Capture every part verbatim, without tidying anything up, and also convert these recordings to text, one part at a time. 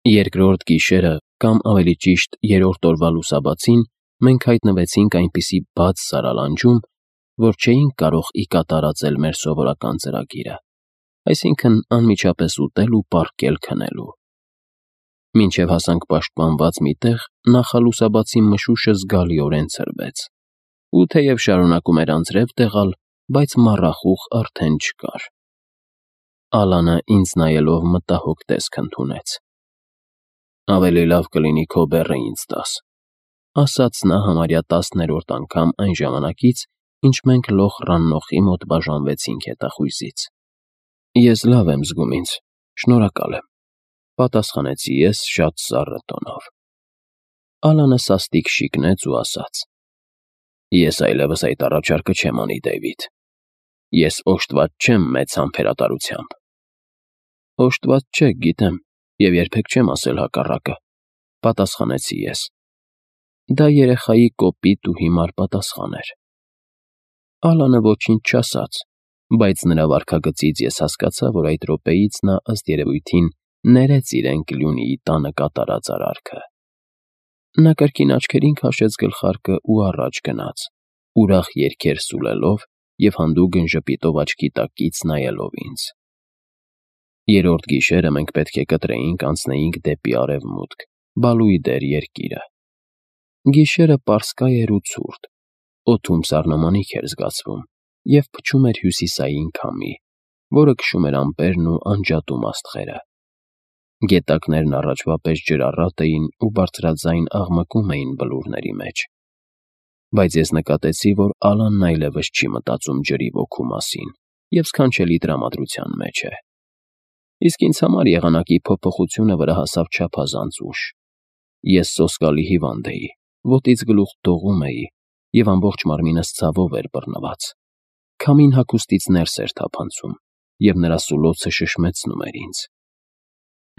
Երկրորդ գիշերը, կամ ավելի ճիշտ երրորդ օրվա լուսաբացին, մենք հայտնվեցինք այնպիսի բաց սարալանջում, որ չէինք կարող ի կատարածել մեր սովորական ծրագիրը, այսինքն անմիջապես ուտել ու պառկել քնելու։ Մինչև հասանք պաշտպանված մի տեղ, նախալուսաբացի մշուշը զգալիորեն ցրվեց, ու թեև շարունակում էր անձրև տեղալ, բայց մառախուղ արդեն չկար։ Ալանը ինձ նայելով մտահոգ տեսք ընդունեց։ «Ավելի լավ կլինի քո բեռը ինձ տաս», ասաց նա համարյա տասներորդ անգամ այն ժամանակից, ինչ մենք լոխ Ռաննոխի մոտ բաժանվեցինք հետախույզից։ «Ես լավ եմ զգում ինձ, շնորհակալ եմ», պատասխանեցի ես շատ սառը տոնով։ Ալանը սաստիկ շիկնեց ու ասաց. «Ես այլևս այդ առաջարկը չեմ անի, Դեյվիդ։ Ես օժտված չեմ մեծ համբերատարությամբ»։ «Օժտված չեք, գիտեմ, և երբեք չեմ ասել հակառակը», պատասխանեցի ես։ Դա երեխայի կոպիտ ու հիմար պատասխան էր։ Ալանը ոչինչ չասաց, բայց նրա վարքագծից ես հասկացա, որ այդ րոպեից նա ըստ երևույթին ներեց իրեն Կլյունիի տանը կատարած արարքը։ Նա կրկին աչքերին քաշեց գլխարկը ու առաջ գնաց, ուրախ երգեր սուլելով և հանդուգն ժպիտով աչքի տակից նայելով ինձ։ Երրորդ գիշերը մենք պետք է կտրեինք անցնեինք դեպի արևմուտք, Բալուիդեր երկիրը։ Գիշերը պարսկայ էր ու ցուրտ, օդում սառնամանիք էր զգացվում և փչում էր հյուսիսային քամի, որը քշում էր ամպերն ու անջատում աստղերը։ Գետակներն առաջվա պես ջրառատ էին ու բարձրաձայն աղմկում էին բլուրների մեջ։ Բայց ես նկատեցի, որ Ալանն այլևս չի մտածում ջրի ոգու մասին և սքանչելի տրամադրության մեջ է։ Իսկ ինձ համար եղանակի փոփոխությունը վրա հասավ չափազանց ուշ։ Ես սոսկալի հիվանդ էի, ոտից գլուխ դողում էի և ամբողջ մարմինս ցավով էր բռնված։ Քամին հագուստից ներս էր թափանցում, և նրա սուլոցը շշմեցնում էր ինձ։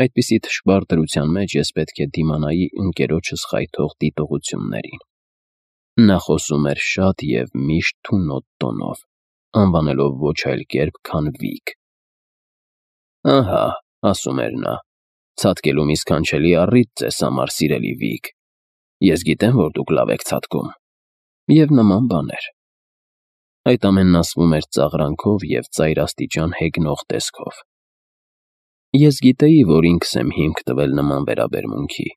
Այդպիսի թշվառ դրության մեջ ես պետք է դիմանայի ընկերոջս խայթող դիտողություններին։ Նա խոսում էր շատ և միշտ թունոտ տոնով, անվանելով ոչ այլ կերպ, քան Վիկ։ «Ահա», ասում էր նա, «ցատկելու մի սքանչելի առիթ ձեզ համար, սիրելի Վիկ։ Ես գիտեմ, որ դուք լավ եք ցատկում» և նման բաներ։ Այդ ամենն ասվում էր ծաղրանքով և ծայրաստիճան հեգնող տեսքով։ Ես գիտեի, որ ինքս եմ հիմք տվել նման վերաբերմունքի,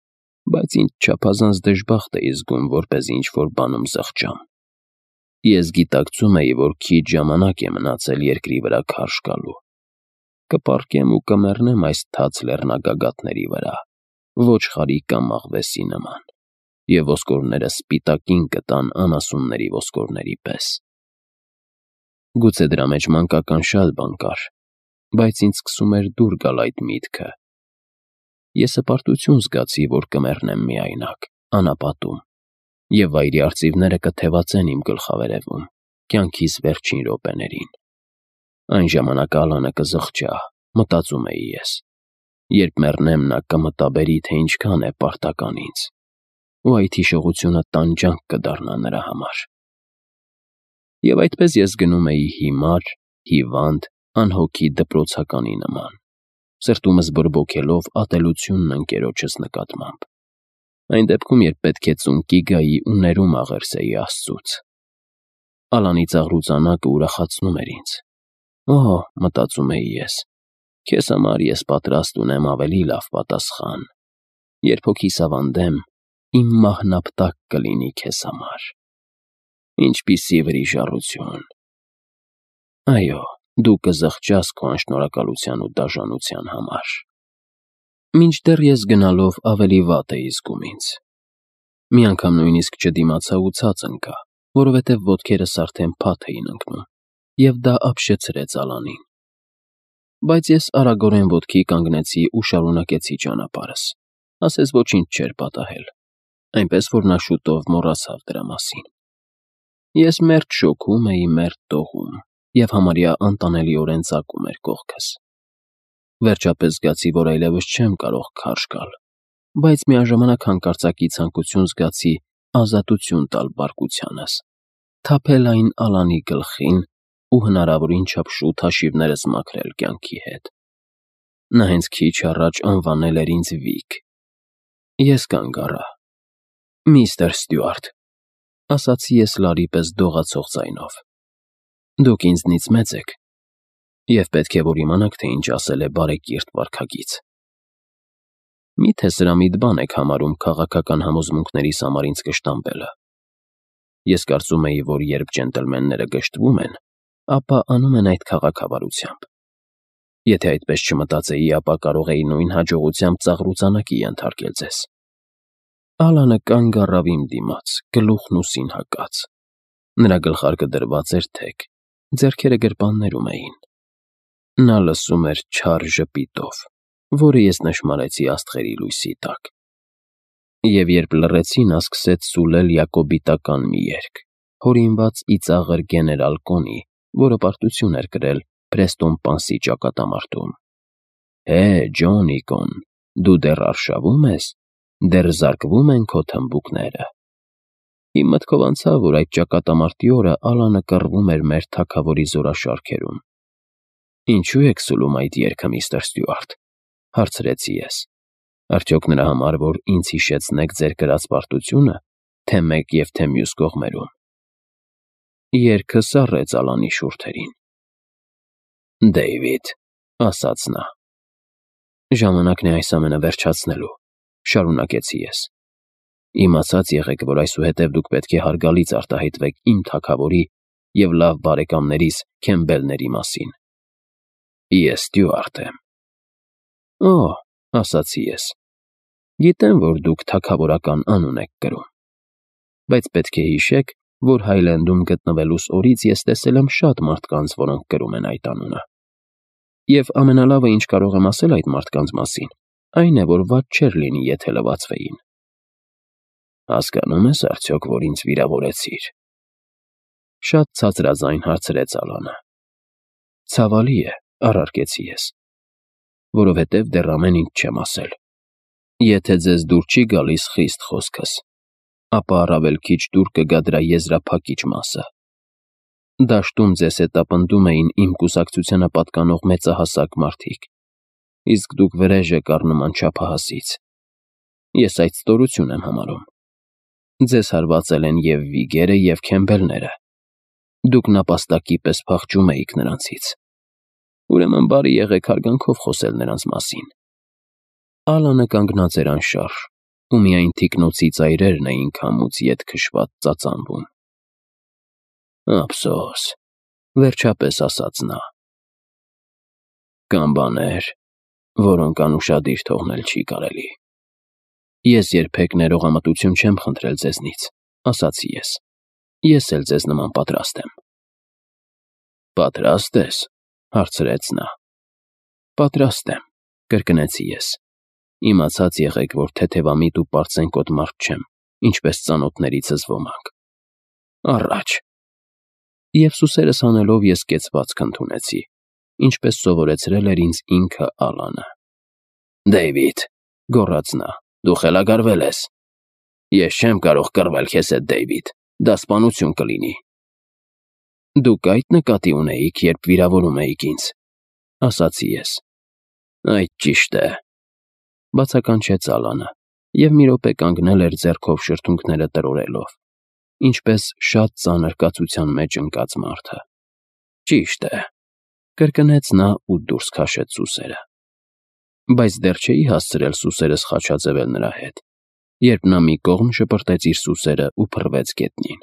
բայց ինձ չափազանց դժբախտ էի զգում, որպեսզի ինչ-որ բանում զղջամ։ Ես գիտակցում էի, որ քիչ ժամանակ է մնացել երկրի վրա քարշ գալու։ Կպառկեմ ու կմեռնեմ այս թաց լեռնագագաթների վրա, ոչխարի կամ աղվեսի նման, և ոսկորներս սպիտակին կտան անասունների ոսկորների պես։ Գուցե դրա մեջ մանկական շատ բան կար, բայց ինձ սկսում էր դուր գալ այդ միտքը։ Ես հպարտություն զգացի, որ կմեռնեմ միայնակ, անապատում, և վայրի արծիվները կթևածեն իմ գլխավերևում, կյանքիս վերջին րոպեներին։ Այն ժամանակ Ալանը կզղջա, մտածում էի ես։ Երբ մեռնեմ, նա կմտաբերի, թե ինչքան է պարտական ինձ, ու այդ հիշողությունը տանջանք կդառնա նրա համար։ Եվ այդպես ես գնում էի հիմար, հիվանդ, անհոգի դպրոցականի նման, սրտումս բորբոքելով ատելությունն ընկերոջս նկատմամբ, այն դեպքում, երբ պետք է ծունկի գայի ու ներում աղերսեի Աստծուց։ Ալանի ծաղրուծանակը ուրախացնում էր ինձ։ «Օհ», մտածում էի ես, «քեզ համար ես պատրաստ ունեմ ավելի լավ պատասխան։ Երբ հոգիս ավանդեմ, իմ մահն ապտակ կլինի քեզ համար»։ Ինչպիսի վրիժառություն։ Այո, դու կզղջաս քո անշնորհակալության ու դաժանության համար։ Մինչդեռ ես գնալով ավելի վատ էի զգում ինձ։ Մի անգամ նույնիսկ չդիմացա ու ցած ընկա, որովհետև ոտքերս արդեն փաթ էին ընկնում, և դա ապշեցրեց Ալանին։ Բայց ես արագորեն ոտքի կանգնեցի ու շարունակեցի ճանապարհս, ասես ոչինչ չէր պատահել, այնպես որ նա շուտով մոռացավ դրա մասին։ Ես մերթ շոգում էի, մերթ դողում, և համարյա անտանելիորեն ծակում էր կողքս։ Վերջապես զգացի, որ այլևս չեմ կարող քարշ գալ, բայց միաժամանակ հանկարծակի ցանկություն զգացի ազատություն տալ բարկությանս, թափել այն Ալանի գլխին ու հնարավորին չափ շուտ հաշիվներս մաքրել կյանքի հետ։ Նա հենց քիչ առաջ անվանել էր ինձ Վիկ։ Ես կանգ առա։ «Միստր Ստյուարտ», ասացի ես լարի պես դողացող ձայնով, «դուք ինձնից մեծ եք, և պետք է որ իմանաք, թե ինչ ասել է բարեկիրթ վարքագիծ։ Մի՞թե սրամիտ բան եք համարում քաղաքական համոզմունքներիս համար ինձ կշտամբելը։ Ես կարծում էի, որ երբ ջենտլմենները գժտվում են, ապա անում են այդ քաղաքավարությամբ։ Եթե այդպես չմտածեի, ապա կարող էի նույն հաջողությամբ ծաղրուծանակի ենթարկել ձեզ»։ Ալանը կանգ առավ իմ դիմաց, գլուխն ուսին հակած։ Նրա գլխարկը դրված էր թեք, ձեռքերը գրպաններում էին։ Նա լսում էր չար ժպիտով, որը ես նշմարեցի աստղերի լույսի տակ։ Եվ երբ լռեցի, նա սկսեց սուլել յակոբիտական մի երգ, հորինված ծիծաղր գեներալ Կոնի, որը պարտություն էր կրել Պրեստոն Պանսի ճակատամարտում։ «Հե, Ջոնի Կոն, դու դեռ արշավո՞ւմ ես, դեռ զարկվում են քո թմբուկները»։ Իմ մտքով անցավ, որ այդ ճակատամարտի օրը Ալանը կռվում էր մեր թագավորի զորաշարքերում։ «Ինչու եք սուլում այդ երգը, միստր Ստյուարտ», հարցրեցի ես։ «Արդյոք նրա համար, որ ինձ հիշեցնեք ձեր կրած պարտությունը, թե մեկ և թե մյուս կողմերում»։ Երգը սառեց Ալանի շուրթերին։ «Դեյվիդ», ասաց նա։ «Ժամանակն է այս ամենը վերջացնելու», շարունակեցի ես։ «Իմացած եղեք, որ այսուհետև դուք պետք է հարգալից արտահայտվեք իմ թագավորի և լավ բարեկամներիս Քեմբելների մասին։ Ես Ստյուարտ եմ»։ «Օ», ասացի ես, «գիտեմ, որ դուք թագավորական անուն եք կրում։ Բայց պետք է հիշեք, որ Հայլենդում գտնվելուս օրից ես տեսել եմ շատ մարդկանց, որոնք կրում են այդ անունը։ Եվ ամենալավը, ինչ կարող եմ ասել այդ մարդկանց մասին, այն է, որ վատ չէր լինի, եթե լվացվեին»։ «Հասկանո՞ւմ ես արդյոք, որ ինձ վիրավորեցիր»։ Շատ ցածրաձայն հարցրեց Ալանը։ «Ցավալի է», առարկեցի ես, «որովհետև դեռ ամեն ինչ չեմ ասել։ Եթե ձեզ դուր չի գալիս խիստ խոսքս, ապա առավել քիչ դուր կգա դրա եզրափակիչ մասը։ Դաշտում ձեզ հետապնդում էին իմ կուսակցությանը պատկանող մեծահասակ մարդիկ, իսկ դուք վրեժ եք առնում անչափահասից։ Ես այդ ստորություն եմ համարում։ Ձեզ հարվածել են և Վիգերը, և Քեմբելները։ Դուք նապաստակի պես փախչում էիք նրանցից։ Ուրեմն բարի եղեք հարգանքով խոսել նրանց մասին»։ Ալանը կանգնած էր անշարժ, ու միայն թիկնոցի ծայրերն էին քամուց ետ քշված ծածանվում։ «Ափսոս», վերջապես ասաց նա։ «Կան բաներ, որոնք անուշադիր թողնել չի կարելի»։ «Ես երբեք ներողամտություն չեմ խնդրել ձեզնից», ասացի ես։ «Ես էլ ձեզ նման պատրաստ եմ»։ «Պատրաստ ես», հարցրեց նա։ «Պատրաստ եմ», կրկնեցի ես։ «Իմացած եղեք, որ թեթևամիտ ու պարծենկոտ մարդ չեմ, ինչպես ծանոթներիցս ոմանք։ Առաջ»։ Եվ սուսերս հանելով ես կեցվածք ընդունեցի, ինչպես սովորեցրել էր ինձ ինքը Ալանը։ «Դեյվիդ», գոռաց նա, «դու խելագարվել ես»։ «Ես չեմ կարող կռվել քեզ հետ, Դեյվիդ, դա սպանություն կլինի»։ «Դուք այդ նկատի ունեիք, երբ վիրավորում էիք ինձ», ասացի ես։ «Այդ ճիշտ է», բացականչեց Ալանը, և մի րոպե կանգնել էր ձեռքով շրթունքները տրորելով, ինչպես շատ ծանր կացության մեջ ընկած մարդը։ «Ճիշտ է», կրկնեց նա ու դուրս քաշեց սուսերը։ Բայց դեռ չէի հասցրել սուսերս խաչաձևել նրա հետ, երբ նա մի կողմ շպրտեց իր սուսերը ու փռվեց գետնին։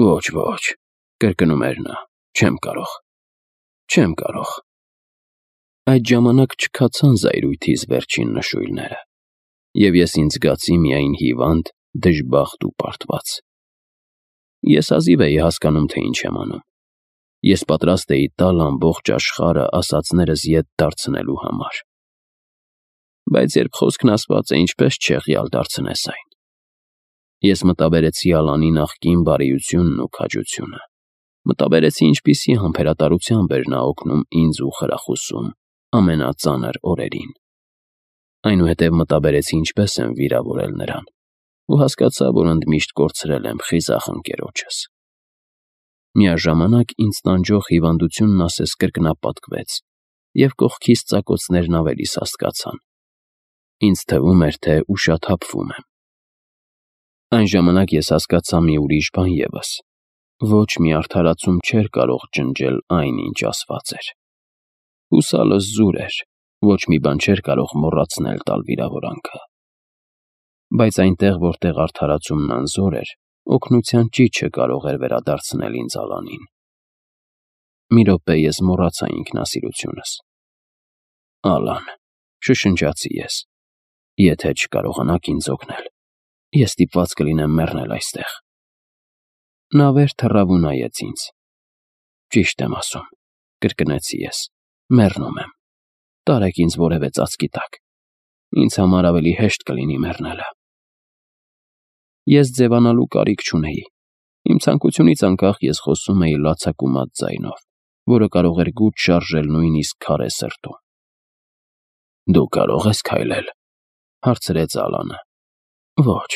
«Ոչ, ոչ», կրկնում էր նա, «չեմ կարող, չեմ կարող»։ Այդ ժամանակ չքացան զայրույթիս վերջին նշույլները, և ես ինձ զգացի միայն հիվանդ, դժբախտ ու պարտված։ Ես հազիվ էի հասկանում, թե ինչ եմ անում։ Ես պատրաստ էի տալ ամբողջ աշխարհը ասածներս ետ դարձնելու համար։ Բայց երբ խոսքն ասված է, ինչպես չեղյալ դարձնես այն։ Ես մտաբերեցի Ալանի նախկին բարիությունն ու քաջությունը։ Մտաբերեցի, ինչպիսի համբերատարությամբ էր նա օգնում ինձ ու խրախուսում ամենածանր օրերին։ Այնուհետև մտաբերեցի, ինչպես եմ վիրավորել նրան, ու հասկացա, որ ընդմիշտ կորցրել եմ խիզախ ընկերոջս։ Միաժամանակ ինձ տանջող հիվանդությունն ասես կրկնապատկվեց, և կողքիս ծակոցներն ավելի սաստկացան։ Ինձ թվում էր, թե ուշաթափվում եմ։ Այն ժամանակ ես հասկացա մի ուրիշ բան ևս. ոչ մի արդարացում չէր կարող ջնջել այն, ինչ ասված էր։ Հուսալս զուր էր, ոչ մի բան չէր կարող մոռացնել տալ վիրավորանքը։ Բայց այնտեղ, որտեղ արդարացումն անզոր էր, օգնության ճիչը կարող էր վերադարձնել ինձ Ալանին։ Մի րոպե ես մոռացա ինքնասիրությունս։ Ալան, շշնջացի ես, եթե չկարողանաք ինձ օգնել, ես ստիպված կլինեմ մեռնել այստեղ։ Նա վեր թռավ ու նայեց ինձ։ Ճիշտ եմ ասում, կրկնեցի ես, մեռնում եմ։ Տարեք ինձ որևէ ծածկի տակ։ Ինձ համար ավելի հեշտ կլինի մեռնելը։ Ես ձևանալու կարիք չունեի։ Իմ ցանկությունից անկախ ես խոսում էի լացակումած ձայնով, որը կարող էր գութ շարժել նույնիսկ քարե սրտում։ Դու կարող ես քայլել, հարցրեց Ալանը։ Ոչ,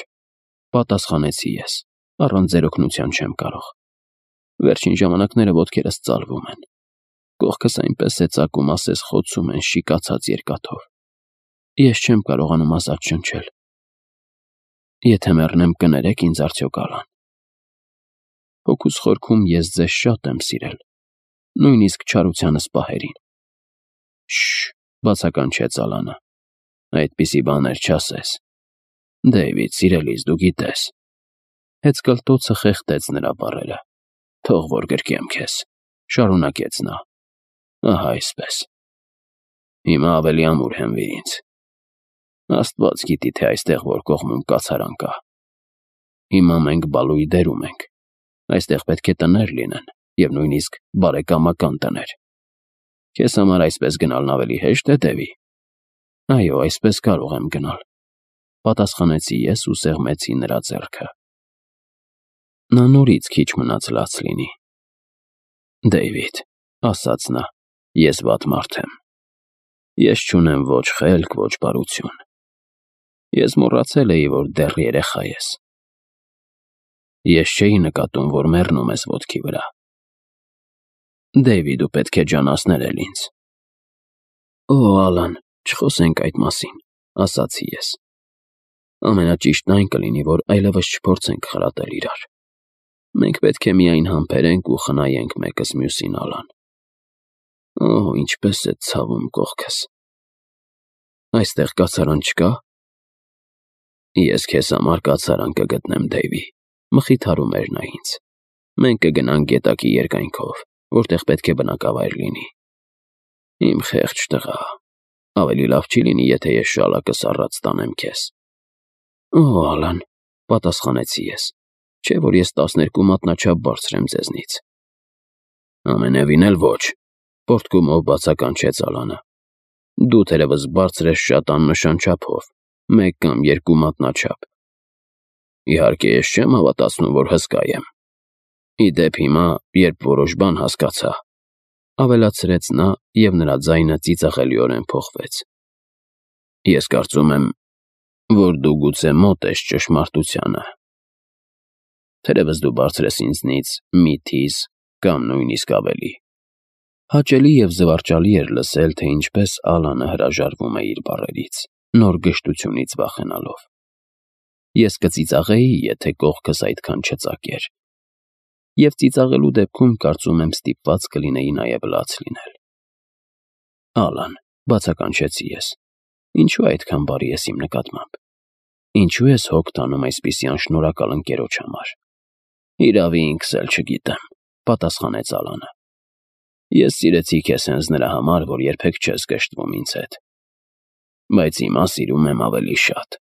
պատասխանեցի ես, առանց ձեր օգնության չեմ կարող։ Վերջին ժամանակները ոտքերս ծալվում են։ Կողքս այնպես է ծակում, ասես խոցում են շիկացած երկաթով։ Ես չեմ կարողանում ազատ շնչել։ Եթե մեռնեմ, կներեք ինձ արդյոք, Ալան։ Հոգուս խորքում ես ձեզ շատ եմ սիրել, նույնիսկ չարությանս պահերին։ Շշ, բացականչեց Ալանը։ Այդպիսի բաներ չասես։ Դեյվիդ, սիրելիս, դու գիտես։ Հեծկլտոցը խեղդեց նրա բառերը։ Թող որ գրկեմ քեզ, շարունակեց նա։ Ահա այսպես։ Հիմա ավելի ամուր հենվիր ինձ։ Աստված գիտի, թե այստեղ որ կողմում կացարան կա։ Հիմա մենք բալուի դերում ենք։ Այստեղ պետք է տներ լինեն, և նույնիսկ բարեկամական տներ։ Քեզ համար այսպես գնալն ավելի հեշտ է, Դեվի։ Այո, այսպես կարող եմ գնալ, պատասխանեցի ես ու սեղմեցի նրա ձեռքը։ Նա նորից քիչ մնաց լաց լինի։ Դեյվիդ, ասաց նա, ես վատ մարդ եմ։ Ես չունեմ ոչ խելք, ոչ բարություն։ Ես մոռացել էի, որ դեռ երեխա ես։ Ես չէի նկատում, որ մեռնում ես ոտքի վրա։ Դեյվիդ, դու պետք է ջանասներել ինձ։ Օ, Ալան, չխոսենք այդ մասին, ասացի ես։ Ամենաճիշտն այն կլինի, որ այլևս չփորձենք խրատել իրար։ Մենք պետք է միայն համբերենք ու խնայենք մեկս մյուսին, Ալան։ Օ, ինչպես է ցավում կողքս։ Այստեղ կացարան չկա։ Ես քեզ համար կացարան կգտնեմ, Դեյվի, մխիթարում էր նա ինձ։ Մենք կգնանք գետակի երկայնքով, որտեղ պետք է բնակավայր լինի։ Իմ խեղճ տղա, ավելի լավ չի լինի, եթե ես շալակս առած տանեմ քեզ։ Օ, Ալան, պատասխանեցի ես, չէ՞ որ ես տասներկու մատնաչափ բարձր եմ ձեզնից։ Ամենևին էլ ոչ, պոռթկումով բացականչեց Ալանը։ Դու թերևս բարձր ես շատ աննշան չափով, մեկ կամ երկու մատնաչափ։ Իհարկե, ես չեմ հավատացնում, որ հսկա եմ։ Ի դեպ հիմա, երբ որոշ բան հասկացա, ավելացրեց նա, և նրա ձայնը ծիծաղելիորեն փոխվեց։ Ես կարծում եմ, որ դու գուցե մոտ ես ճշմարտությանը։ Թերևս դու բարձր ես ինձնից մի թիզ կամ նույնիսկ ավելի։ Հաճելի և զվարճալի էր լսել, թե ինչպես Ալանը հրաժարվում է իր բառերից, նոր գժտությունից վախենալով։ Ես կծիծաղեի, եթե կողքս այդքան չծակեր։ Եվ ծիծաղելու դեպքում կարծում եմ ստիպված կլինեի նաև լաց լինել։ Ալան, բացականչեցի ես, ինչու այդքան բարի ես իմ նկատմամբ։ Ինչու ես հոգ տանում այսպիսի անշնորհակալ ընկերոջ համար։ Իրավի ինքս էլ չգիտեմ, պատասխանեց Ալանը։ Ես սիրեցի քեզ հենց նրա համար, որ երբեք չես կշտվում ինձ հետ։ Բայց հիմա սիրում եմ ավելի շատ։